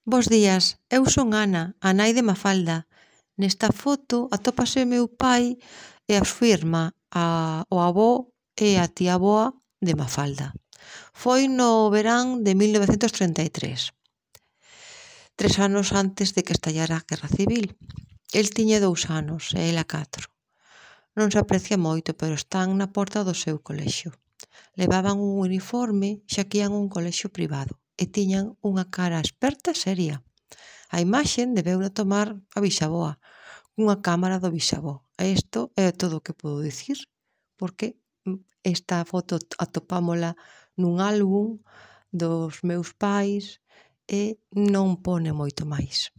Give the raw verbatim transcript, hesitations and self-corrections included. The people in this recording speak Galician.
Bos días, eu son Ana, a nai de Mafalda. Nesta foto atópase o meu pai e a súa irmá, a, o avó e a tía avoa de Mafalda. Foi no verán de mil novecentos trinta e tres, tres anos antes de que estallara a Guerra Civil. El tiña dous anos e ela catro. Non se aprecia moito, pero están na porta do seu colexio. Levaban un uniforme xa que ian a un colexio privado e tiñan unha cara experta e seria. A imaxe debeuna tomar a bisavoa, cunha cámara do bisavó. E isto é todo o que podo dicir, porque esta foto atopámola nun álbum dos meus pais e non pone moito máis.